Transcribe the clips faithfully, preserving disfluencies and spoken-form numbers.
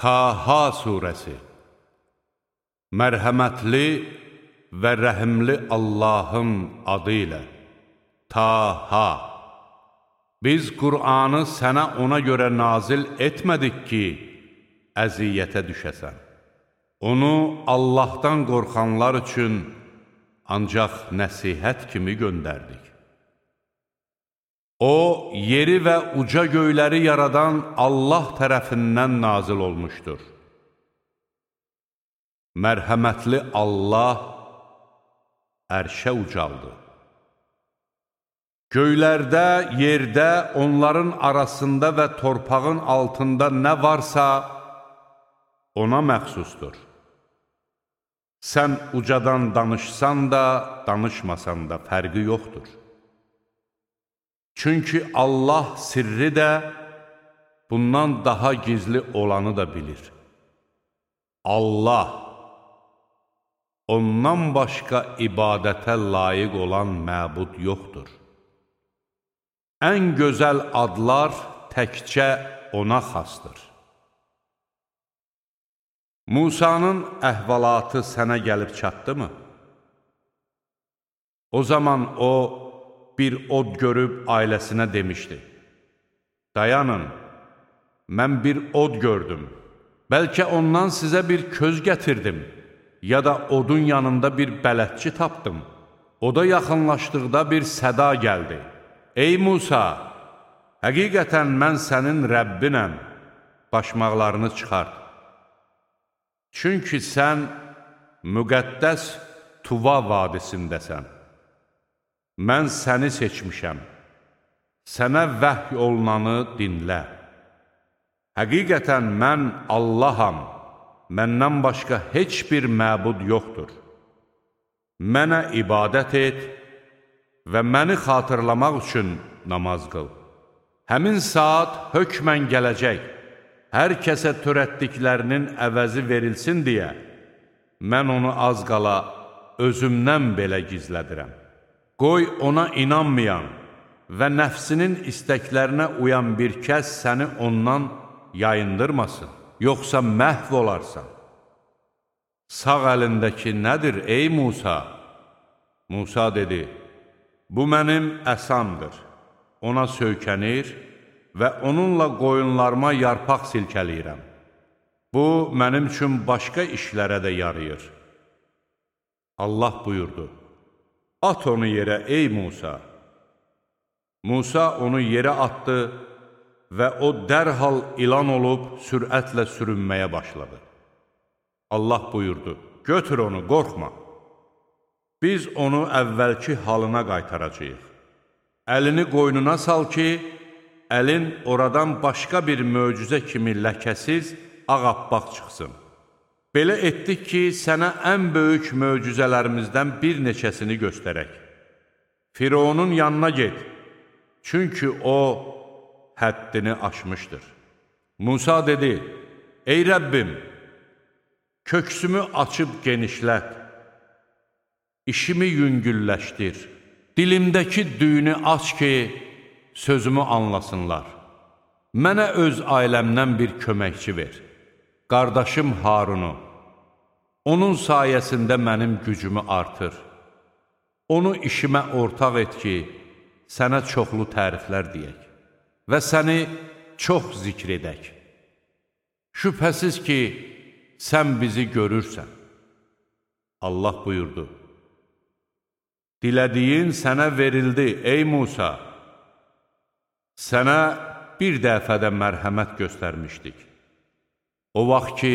Taha surəsi. Mərhəmətli və rəhimli Allahın adı ilə. Taha. Biz Qur'anı sənə ona görə nazil etmədik ki, əziyyətə düşəsən. Onu Allahdan qorxanlar üçün ancaq nəsihət kimi göndərdik. O, yeri və uca göyləri yaradan Allah tərəfindən nazil olmuşdur. Mərhəmətli Allah ərşə ucaldı. Göylərdə, yerdə, onların arasında və torpağın altında nə varsa, ona məxsusdur. Sən ucadan danışsan da, danışmasan da fərqi yoxdur. Çünki Allah sirri də, bundan daha gizli olanı da bilir. Allah, ondan başqa ibadətə layiq olan məbud yoxdur. Ən gözəl adlar təkcə ona xasdır. Musanın əhvalatı sənə gəlib çatdımı? O zaman o, bir od görüb ailəsinə demişdi. Dayanın, mən bir od gördüm. Bəlkə ondan sizə bir köz gətirdim, ya da odun yanında bir bələdçi tapdım. Oda yaxınlaşdıqda bir səda gəldi. Ey Musa, həqiqətən mən sənin Rəbbinəm, başmaqlarını çıxart. Çünki sən müqəddəs Tuva vadisindəsən. Mən səni seçmişəm, sənə vəhy olunanı dinlə. Həqiqətən mən Allaham, məndən başqa heç bir məbud yoxdur. Mənə ibadət et və məni xatırlamaq üçün namaz qıl. Həmin saat hökmən gələcək, hər kəsə törətdiklərinin əvəzi verilsin deyə, mən onu az qala özümdən belə gizlədirəm. Qoy ona inanmayan və nəfsinin istəklərinə uyan bir kəs səni ondan yayındırmasın, yoxsa məhv olarsan. Sağ əlindəki nədir, ey Musa? Musa dedi, bu mənim əsamdır. Ona söykənir və onunla qoyunlarıma yarpaq silkəliyirəm. Bu, mənim üçün başqa işlərə də yarayır. Allah buyurdu, at onu yerə, ey Musa. Musa onu yerə atdı və o dərhal ilan olub sürətlə sürünməyə başladı. Allah buyurdu, götür onu, qorxma. Biz onu əvvəlki halına qaytaracağıq. Əlini qoynuna sal ki, əlin oradan başqa bir möcüzə kimi ləkəsiz, ağappaq çıxsın. Belə etdik ki, sənə ən böyük möcüzələrimizdən bir neçəsini göstərək. Fironun yanına get, çünki o həddini aşmışdır. Musa dedi, ey Rəbbim, köksümü açıb genişlət, işimi yüngülləşdir, dilimdəki düyünü aç ki, sözümü anlasınlar. Mənə öz ailəmdən bir köməkçi ver. Qardaşım Harunu, onun sayəsində mənim gücümü artır. Onu işimə ortaq et ki, sənə çoxlu təriflər deyək və səni çox zikr edək. Şübhəsiz ki, sən bizi görürsən. Allah buyurdu, dilədiyin sənə verildi, ey Musa. Sənə bir dəfədə mərhəmət göstərmişdik. O vaxt ki,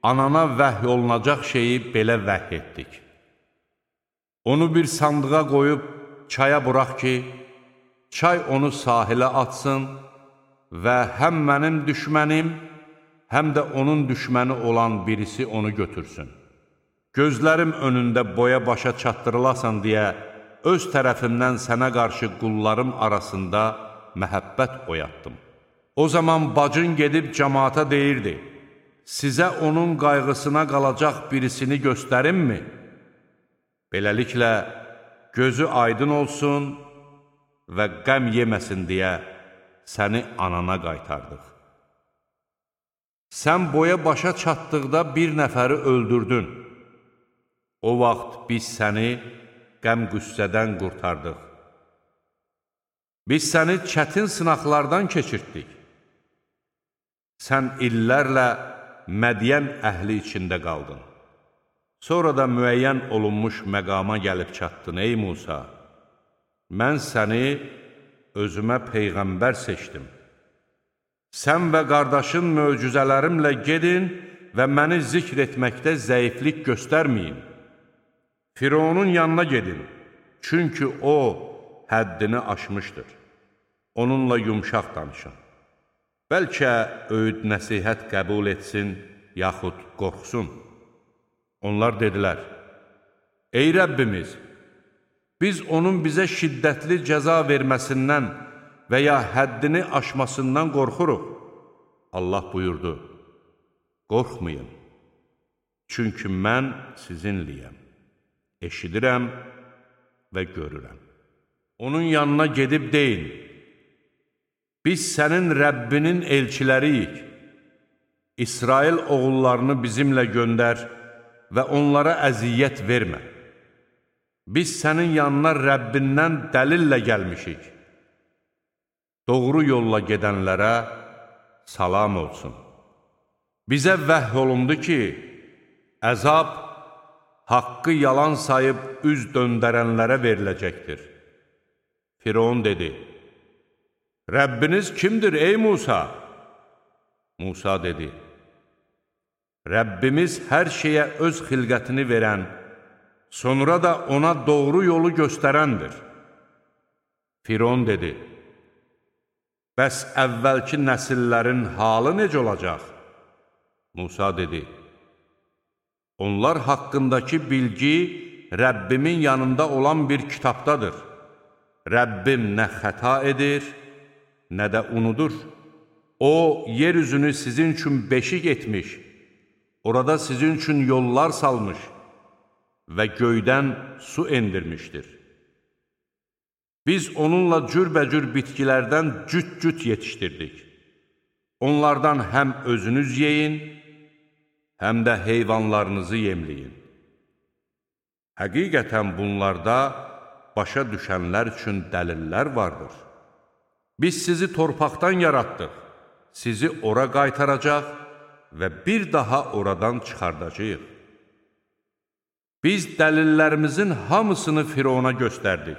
anana vəhy olunacaq şeyi belə vəhy etdik. Onu bir sandığa qoyub çaya burax ki, çay onu sahilə atsın və həm mənim düşmənim, həm də onun düşməni olan birisi onu götürsün. Gözlərim önündə boya başa çatdırılasan deyə, öz tərəfimdən sənə qarşı qullarım arasında məhəbbət oyatdım. O zaman bacın gedib cəmaata deyirdi, sizə onun qayğısına qalacaq birisini göstərimmi? Beləliklə, gözü aydın olsun və qəm yeməsin deyə səni anana qaytardıq. sən boya başa çatdıqda bir nəfəri öldürdün. O vaxt biz səni qəm-qüssədən qurtardıq. Biz səni çətin sınaqlardan keçirtdik. Sən illərlə Mədiyən əhli içində qaldın. Sonra da müəyyən olunmuş məqama gəlib çatdın, ey Musa. Mən səni özümə peyğəmbər seçdim. Sən və qardaşın möcüzələrimlə gedin və məni zikr etməkdə zəiflik göstərməyin. Fironun yanına gedin, çünki o həddini aşmışdır. Onunla yumşaq danışın. Bəlkə öyüd nəsihət qəbul etsin, yaxud qorxsun. Onlar dedilər, ey Rəbbimiz, biz onun bizə şiddətli cəza verməsindən və ya həddini aşmasından qorxuruq. Allah buyurdu, qorxmayın, çünki mən sizinliyəm, eşidirəm və görürəm. Onun yanına gedib deyin, biz sənin Rəbbinin elçiləriyik. İsrail oğullarını bizimlə göndər və onlara əziyyət vermə. Biz sənin yanına Rəbbindən dəlillə gəlmişik. Doğru yolla gedənlərə salam olsun. Bizə vəhy olundu ki, əzab haqqı yalan sayıb üz döndərənlərə veriləcəkdir. Firon dedi, Rəbbiniz kimdir ey Musa? Musa dedi, Rəbbimiz hər şeyə öz xilqətini verən, sonra da ona doğru yolu göstərəndir. Firon dedi, bəs əvvəlki nəsillərin halı necə olacaq? Musa dedi, onlar haqqındakı bilgi Rəbbimin yanında olan bir kitabdadır. Rəbbim nə xəta edir, nə də unudur. O, yeryüzünü sizin üçün beşik etmiş, orada sizin üçün yollar salmış və göydən su endirmişdir. Biz onunla cürbəcür bitkilərdən cüt-cüt yetişdirdik. Onlardan həm özünüz yeyin, həm də heyvanlarınızı yemləyin. Həqiqətən bunlarda başa düşənlər üçün dəlillər vardır. Biz sizi torpaqdan yaratdıq, sizi ora qaytaracaq və bir daha oradan çıxardacağıq. Biz dəlillərimizin hamısını Firona göstərdik.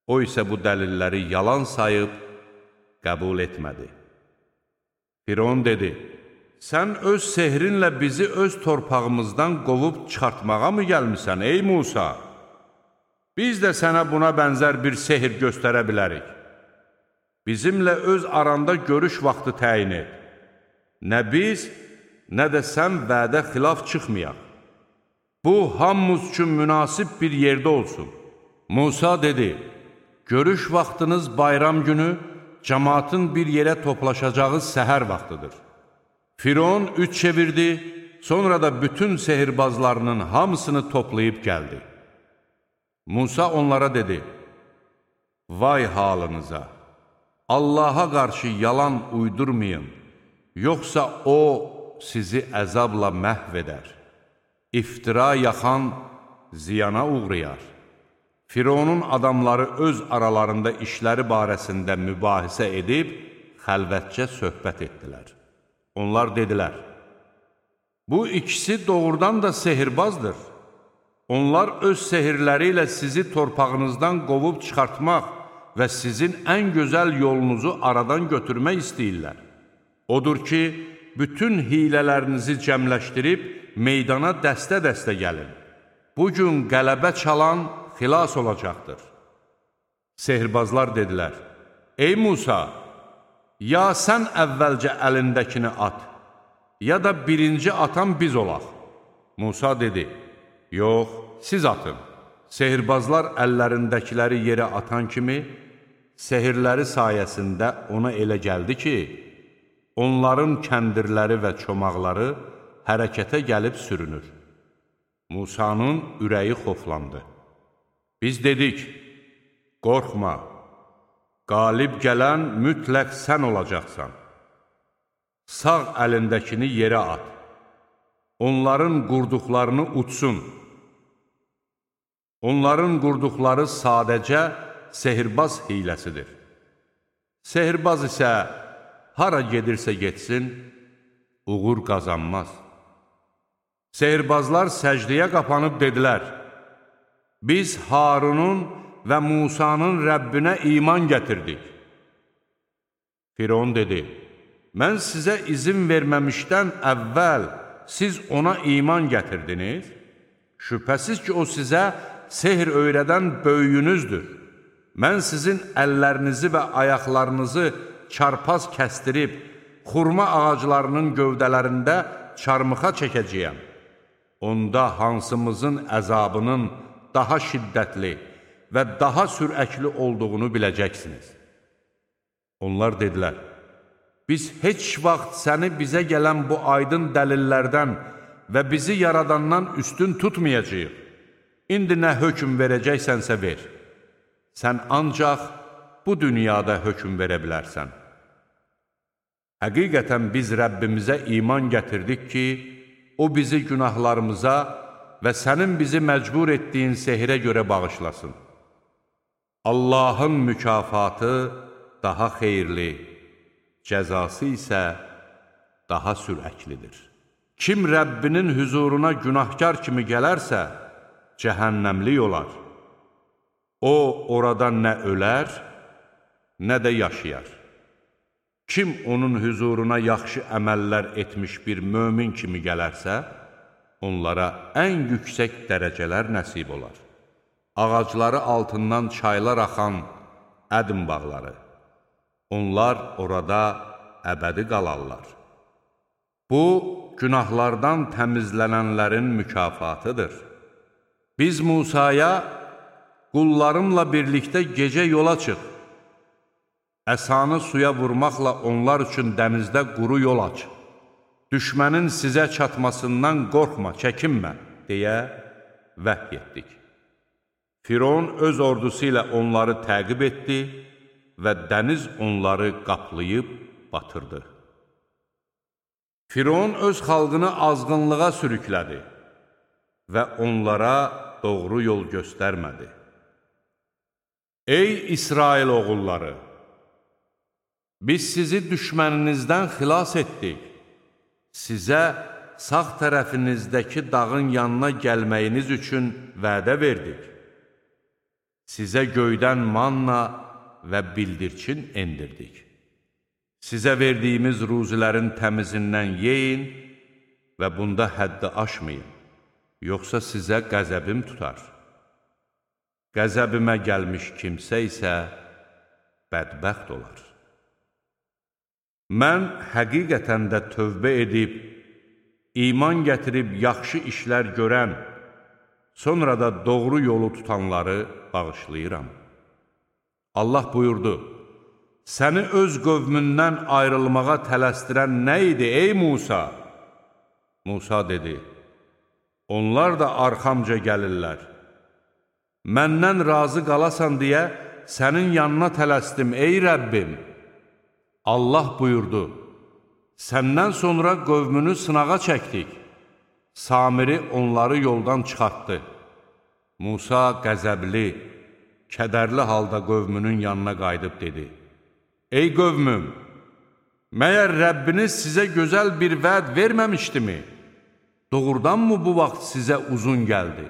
O isə bu dəlilləri yalan sayıb qəbul etmədi. Firon dedi, sən öz sehrinlə bizi öz torpağımızdan qovub çıxartmağa mı gəlmisən, ey Musa? Biz də sənə buna bənzər bir sehr göstərə bilərik. Bizimlə öz aranda görüş vaxtı təyin et. Nə biz, nə də sən vədə xilaf çıxmayaq. Bu, hamımız üçün münasib bir yerdə olsun. Musa dedi, görüş vaxtınız bayram günü, cəmaatın bir yerə toplaşacağı səhər vaxtıdır. Firon üç çevirdi, sonra da bütün sehirbazlarının hamısını toplayıb gəldi. Musa onlara dedi, vay halınıza! Allaha qarşı yalan uydurmayın, yoxsa O sizi əzabla məhv edər. İftira yaxan ziyana uğrayar. Fironun adamları öz aralarında işləri barəsində mübahisə edib, xəlvətcə söhbət etdilər. Onlar dedilər, bu ikisi doğrudan da sehirbazdır. Onlar öz sehirləri ilə sizi torpağınızdan qovub çıxartmaq və sizin ən gözəl yolunuzu aradan götürmək istəyirlər. Odur ki, bütün hilələrinizi cəmləşdirib meydana dəstə-dəstə gəlin. Bugün qələbə çalan xilas olacaqdır. Sehirbazlar dedilər, ey Musa, ya sən əvvəlcə əlindəkini at, ya da birinci atan biz olaq. Musa dedi, yox, siz atın. Sehirbazlar əllərindəkiləri yerə atan kimi, sehirləri sayəsində ona elə gəldi ki, onların kəndirləri və çomaqları hərəkətə gəlib sürünür. Musanın ürəyi xoflandı. Biz dedik, qorxma, qalib gələn mütləq sən olacaqsan. sağ əlindəkini yerə at. Onların qurduqlarını utsun. Onların qurduqları sadəcə sehirbaz hiləsidir. Sehirbaz isə hara gedirsə getsin, uğur qazanmaz. Sehirbazlar səcdəyə qapanıb dedilər, biz Harunun və Musanın Rəbbinə iman gətirdik. Firon dedi, mən sizə izin verməmişdən əvvəl siz ona iman gətirdiniz. Şübhəsiz ki, o sizə sehr öyrədən böyüyünüzdür. Mən sizin əllərinizi və ayaqlarınızı çarpaz kəstirib, xurma ağaclarının gövdələrində çarmıxa çəkəcəyəm. Onda hansımızın əzabının daha şiddətli və daha sürəkli olduğunu biləcəksiniz. Onlar dedilər, biz heç vaxt səni bizə gələn bu aydın dəlillərdən və bizi yaradandan üstün tutmayacağıq. İndi nə hökm verəcəksənsə ver. Sən ancaq bu dünyada hökm verə bilərsən. Həqiqətən biz Rəbbimizə iman gətirdik ki, o bizi günahlarımıza və sənin bizi məcbur etdiyin sehirə görə bağışlasın. Allahın mükafatı daha xeyirli, cəzası isə daha sürəklidir. Kim Rəbbinin hüzuruna günahkar kimi gələrsə, cəhənnəmlik olar. O, orada nə ölər, nə də yaşayar. Kim onun hüzuruna yaxşı əməllər etmiş bir mömin kimi gələrsə, onlara ən yüksək dərəcələr nəsib olar. Ağacları altından çaylar axan ədm bağları. Onlar orada əbədi qalarlar. Bu, günahlardan təmizlənənlərin mükafatıdır. Biz Musaya, qullarımla birlikdə gecə yola çıx. Əsanı suya vurmaqla onlar üçün dənizdə quru yol aç. Düşmənin sizə çatmasından qorxma, çəkinmə, deyə vəhy etdik. Firon öz ordusu ilə onları təqib etdi və dəniz onları qaplayıb batırdı. Firon öz xalqını azğınlığa sürüklədi və onlara doğru yol göstərmədi. Ey İsrail oğulları! Biz sizi düşməninizdən xilas etdik. Sizə sağ tərəfinizdəki dağın yanına gəlməyiniz üçün vədə verdik. Sizə göydən manna və bildirçin endirdik. Sizə verdiyimiz ruzilərin təmizindən yeyin və bunda həddi aşmayın, yoxsa sizə qəzəbim tutar. Qəzəbimə gəlmiş kimsə isə bədbəxt olar. Mən həqiqətən də tövbə edib, iman gətirib yaxşı işlər görən, sonra da doğru yolu tutanları bağışlayıram. Allah buyurdu, səni öz qövmündən ayrılmağa tələsdirən nə idi, ey Musa? Musa dedi, onlar da arxamca gəlirlər. Məndən razı qalasan deyə sənin yanına tələsdim, ey Rəbbim. Allah buyurdu, səndən sonra qövmünü sınağa çəkdik. Samiri onları yoldan çıxartdı. Musa qəzəbli, kədərli halda qövmünün yanına qayıdıb dedi, ey qövmüm, məyər Rəbbiniz sizə gözəl bir vəd verməmişdimi? Doğrudanmı bu vaxt sizə uzun gəldi?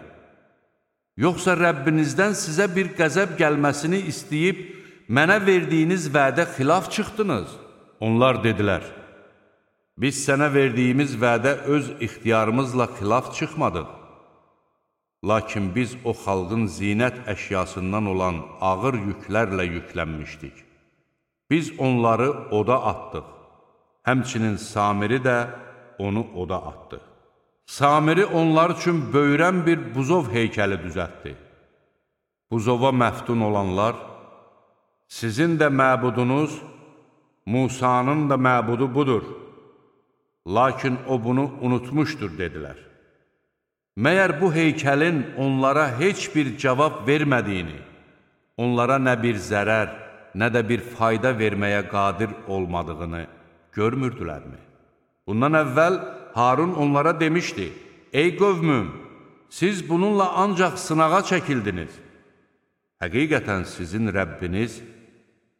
Yoxsa Rəbbinizdən sizə bir qəzəb gəlməsini istəyib, mənə verdiyiniz vədə xilaf çıxdınız? Onlar dedilər, biz sənə verdiyimiz vədə öz ixtiyarımızla xilaf çıxmadıq. Lakin biz o xalqın zinət əşyasından olan ağır yüklərlə yüklənmişdik. Biz onları oda atdıq. Həmçinin Samiri də onu oda atdı. Samiri onlar üçün böyrən bir buzov heykəli düzəltdi. Buzova məftun olanlar, sizin də məbudunuz, Musanın da məbudu budur. Lakin o bunu unutmuşdur, dedilər. Məyər bu heykəlin onlara heç bir cavab vermədiyini, onlara nə bir zərər, nə də bir fayda verməyə qadir olmadığını görmürdülərmi? Bundan əvvəl Harun onlara demişdi, ey qövmüm, siz bununla ancaq sınağa çəkildiniz. Həqiqətən sizin Rəbbiniz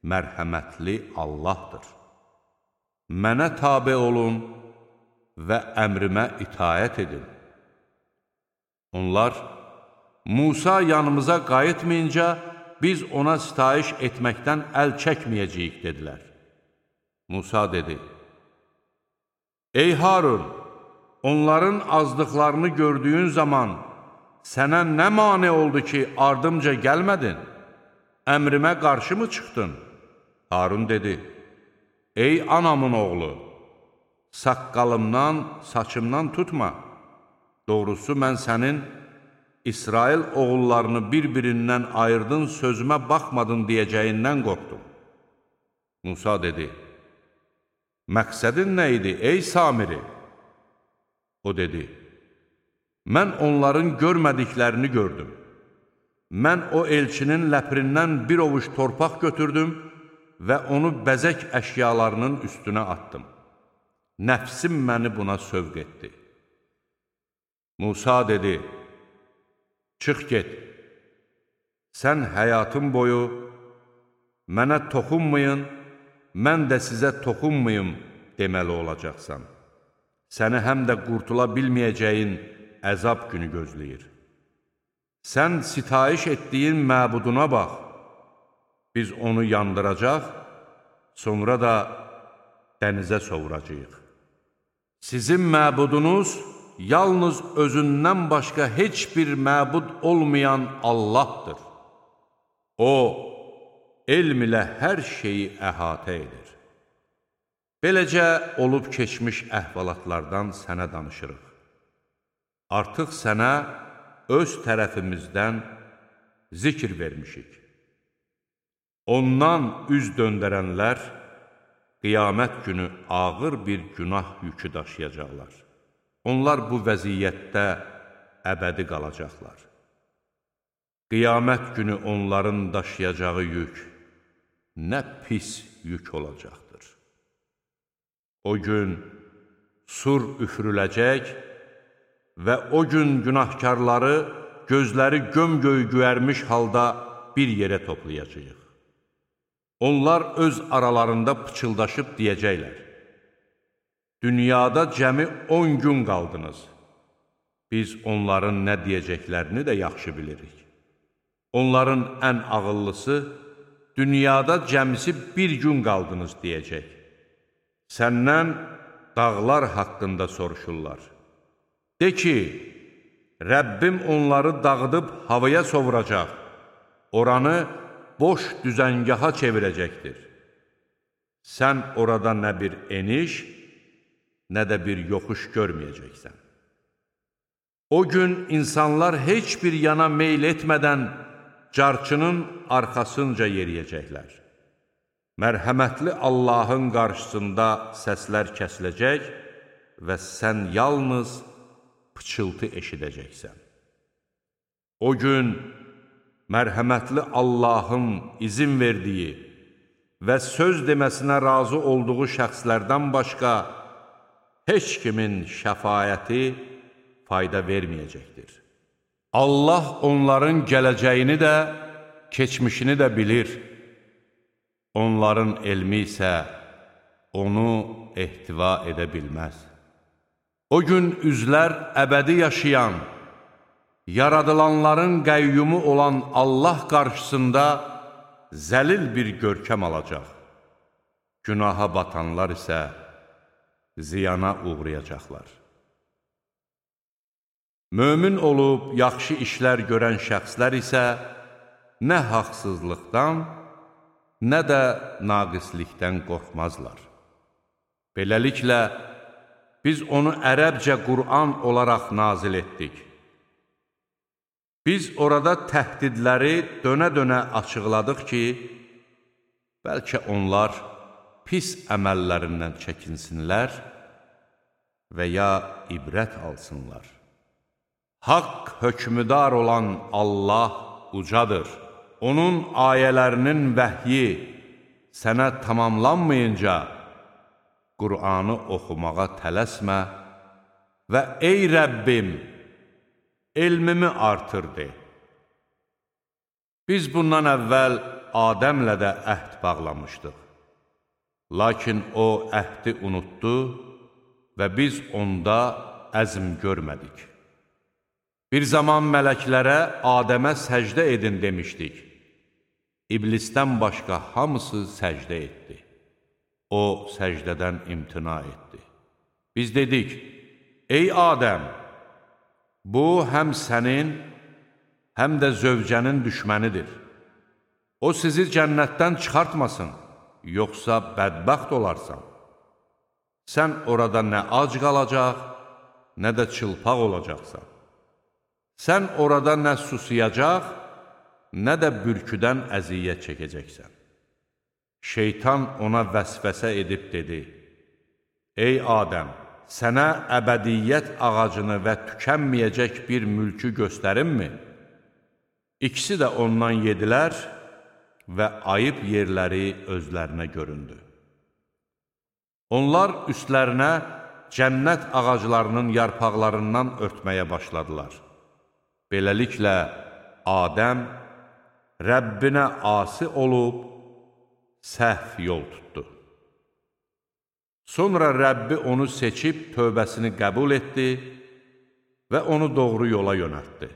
mərhəmətli Allahdır. Mənə tabe olun və əmrimə itaət edin. Onlar, Musa yanımıza qayıtmayınca, biz ona sitayiş etməkdən əl çəkməyəcəyik, dedilər. Musa dedi, ey Harun, onların azdıqlarını gördüyün zaman sənə nə mane oldu ki, ardımca gəlmədin? Əmrimə qarşı mı çıxdın? Harun dedi, ey anamın oğlu, saqqalımdan, saçımdan tutma. Doğrusu, mən sənin İsrail oğullarını bir-birindən ayırdın, sözümə baxmadın deyəcəyindən qorxdum. Musa dedi, məqsədin nə idi, ey Samiri? O dedi, mən onların görmədiklərini gördüm. Mən o elçinin ləpirindən bir ovuc torpaq götürdüm və onu bəzək əşyalarının üstünə attım. Nəfsim məni buna sövq etdi. Musa dedi, çıx get, sən həyatın boyu mənə toxunmayın, mən də sizə toxunmayım deməli olacaqsan. Səni həm də qurtula bilməyəcəyin əzab günü gözləyir. Sən sitayiş etdiyin məbuduna bax, biz onu yandıracaq, sonra da dənizə sovuracaq. Sizin məbudunuz yalnız özündən başqa heç bir məbud olmayan Allahdır. O, elm ilə hər şeyi əhatə edir. Beləcə, olub keçmiş əhvalatlardan sənə danışırıq. Artıq sənə öz tərəfimizdən zikr vermişik. Ondan üz döndərənlər qiyamət günü ağır bir günah yükü daşıyacaqlar. Onlar bu vəziyyətdə əbədi qalacaqlar. Qiyamət günü onların daşıyacağı yük nə pis yük olacaqdır. O gün sur üfürüləcək və o gün günahkarları gözləri göm-göy göyərmiş halda bir yerə toplayacaq. Onlar öz aralarında pıçıldaşıb deyəcəklər, dünyada cəmi on gün qaldınız. Biz onların nə deyəcəklərini də yaxşı bilirik. Onların ən ağıllısı, dünyada cəmisi bir gün qaldınız deyəcək. Səndən dağlar haqqında soruşurlar. De ki, Rəbbim onları dağıdıb havaya sovuracaq, oranı boş düzəngaha çevirəcəkdir. Sən orada nə bir eniş, nə də bir yoxuş görməyəcəksən. O gün insanlar heç bir yana meyl etmədən carçının arxasınca yeriyəcəklər. Mərhəmətli Allahın qarşısında səslər kəsiləcək və sən yalnız pıçıltı eşidəcəksən. O gün mərhəmətli Allahın izin verdiyi və söz deməsinə razı olduğu şəxslərdən başqa heç kimin şəfayəti fayda verməyəcəkdir. Allah onların gələcəyini də, keçmişini də bilir. Onların elmi isə onu ehtiva edə bilməz. O gün üzlər əbədi yaşayan, yaradılanların qəyyumu olan Allah qarşısında zəlil bir görkəm alacaq. Günaha batanlar isə ziyana uğrayacaqlar. Mömin olub yaxşı işlər görən şəxslər isə nə haqsızlıqdan, nə də naqislikdən qorxmazlar. Beləliklə, biz onu ərəbcə Qur'an olaraq nazil etdik. Biz orada təhdidləri dönə-dönə açıqladıq ki, bəlkə onlar pis əməllərindən çəkinsinlər və ya ibrət alsınlar. Haqq hökmüdar olan Allah ucadır. Onun ayələrinin vəhyi sənə tamamlanmayınca Qur'anı oxumağa tələsmə və ey Rəbbim, elmimi artır de. Biz bundan əvvəl Adəmlə də əhd bağlamışdıq. Lakin o əhdi unutdu və biz onda əzm görmədik. Bir zaman mələklərə Adəmə səcdə edin demişdik. İblisdən başqa hamısı səcdə etdi. O səcdədən imtina etdi. Biz dedik, ey Adəm, bu həm sənin, həm də zövcənin düşmənidir. O sizi cənnətdən çıxartmasın, yoxsa bədbəxt olarsan. Sən orada nə ac qalacaq, nə də çılpaq olacaqsan. Sən orada nə susayacaq, nə də bürküdən əziyyət çəkəcəksən. Şeytan ona vəsvəsə edib dedi, ey Adəm, sənə əbədiyyət ağacını və tükənməyəcək bir mülkü göstərimmi? İkisi də ondan yedilər və ayıb yerləri özlərinə göründü. Onlar üstlərinə cənnət ağaclarının yarpaqlarından örtməyə başladılar. Beləliklə, Adəm Rəbbinə asi olub, səhv yol tutdu. Sonra Rəbbi onu seçib tövbəsini qəbul etdi və onu doğru yola yönəltdi.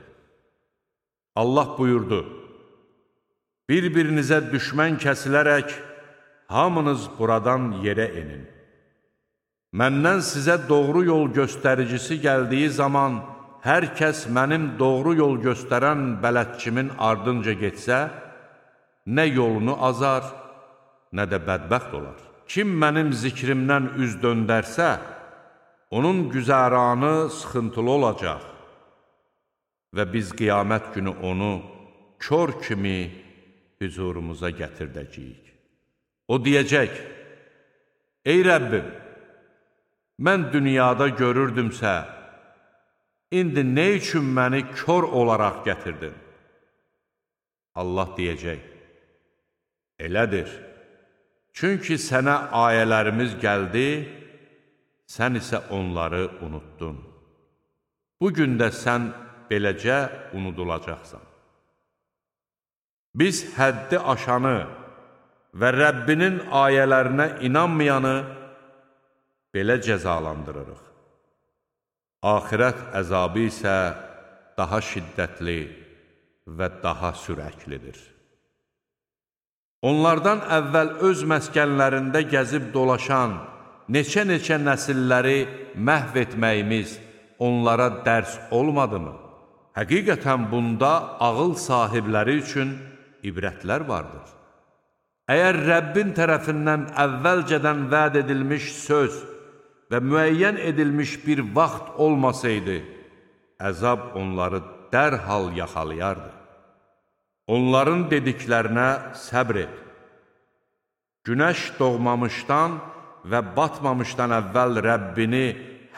Allah buyurdu, bir-birinizə düşmən kəsilərək hamınız buradan yerə enin. Məndən sizə doğru yol göstəricisi gəldiyi zaman hər kəs mənim doğru yol göstərən bələdçimin ardınca getsə, nə yolunu azar, nə də bədbəxt olar. Kim mənim zikrimdən üz döndərsə, onun güzəranı sıxıntılı olacaq və biz qiyamət günü onu kör kimi hüzurumuza gətirdəcəyik. O deyəcək, ey Rəbbim, mən dünyada görürdümsə, indi nə üçün məni kör olaraq gətirdin? Allah deyəcək, elədir. Çünki sənə ayələrimiz gəldi, sən isə onları unuttun. Bugün də sən beləcə unudulacaqsan. Biz həddi aşanı və Rəbbinin ayələrinə inanmayanı belə cəzalandırırıq. Axirət əzabı isə daha şiddətli və daha sürəklidir. Onlardan əvvəl öz məskənlərində gəzib dolaşan neçə-neçə nəsilləri məhv etməyimiz onlara dərs olmadımı? Həqiqətən bunda ağıl sahibləri üçün ibrətlər vardır. Əgər Rəbbin tərəfindən əvvəlcədən vəd edilmiş söz və müəyyən edilmiş bir vaxt olmasaydı, əzab onları dərhal yaxalayardı. Onların dediklərinə səbr et. Günəş doğmamışdan və batmamışdan əvvəl Rəbbini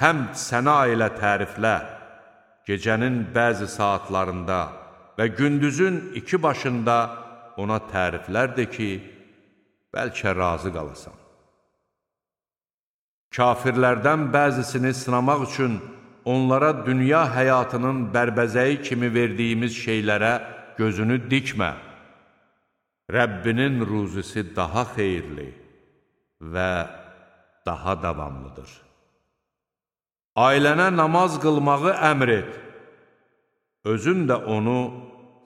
həmd səna ilə təriflə, gecənin bəzi saatlarında və gündüzün iki başında ona təriflər de ki, bəlkə razı qalasan. Kafirlərdən bəzisini sınamaq üçün onlara dünya həyatının bərbəzəyi kimi verdiyimiz şeylərə gözünü dikmə. Rəbbinin ruzisi daha xeyirli və daha davamlıdır. Ailənə namaz qılmağı əmr et. Özün də onu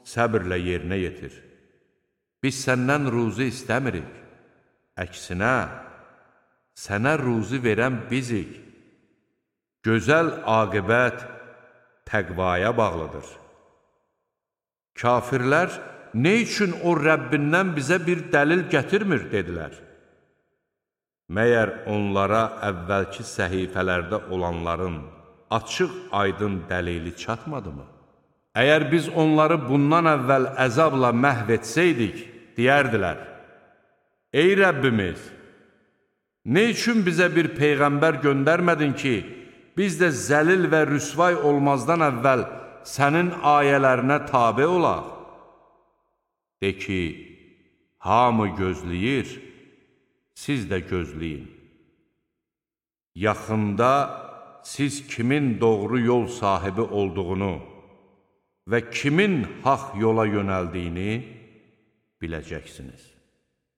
səbirlə yerinə yetir. Biz səndən ruzi istəmirik. Əksinə, sənə ruzi verən bizik. Gözəl aqibət təqvaya bağlıdır. Kafirlər, nə üçün o Rəbbindən bizə bir dəlil gətirmir, dedilər. Məyər onlara əvvəlki səhifələrdə olanların açıq aydın dəlili çatmadı mı? Əgər biz onları bundan əvvəl əzabla məhv etsəydik, deyərdilər, ey Rəbbimiz, nə üçün bizə bir peyğəmbər göndərmədin ki, biz də zəlil və rüsvay olmazdan əvvəl sənin ayələrinə tabe olaq? De ki, hamı gözləyir, siz də gözləyin. yaxında siz kimin doğru yol sahibi olduğunu və kimin haq yola yönəldiyini biləcəksiniz.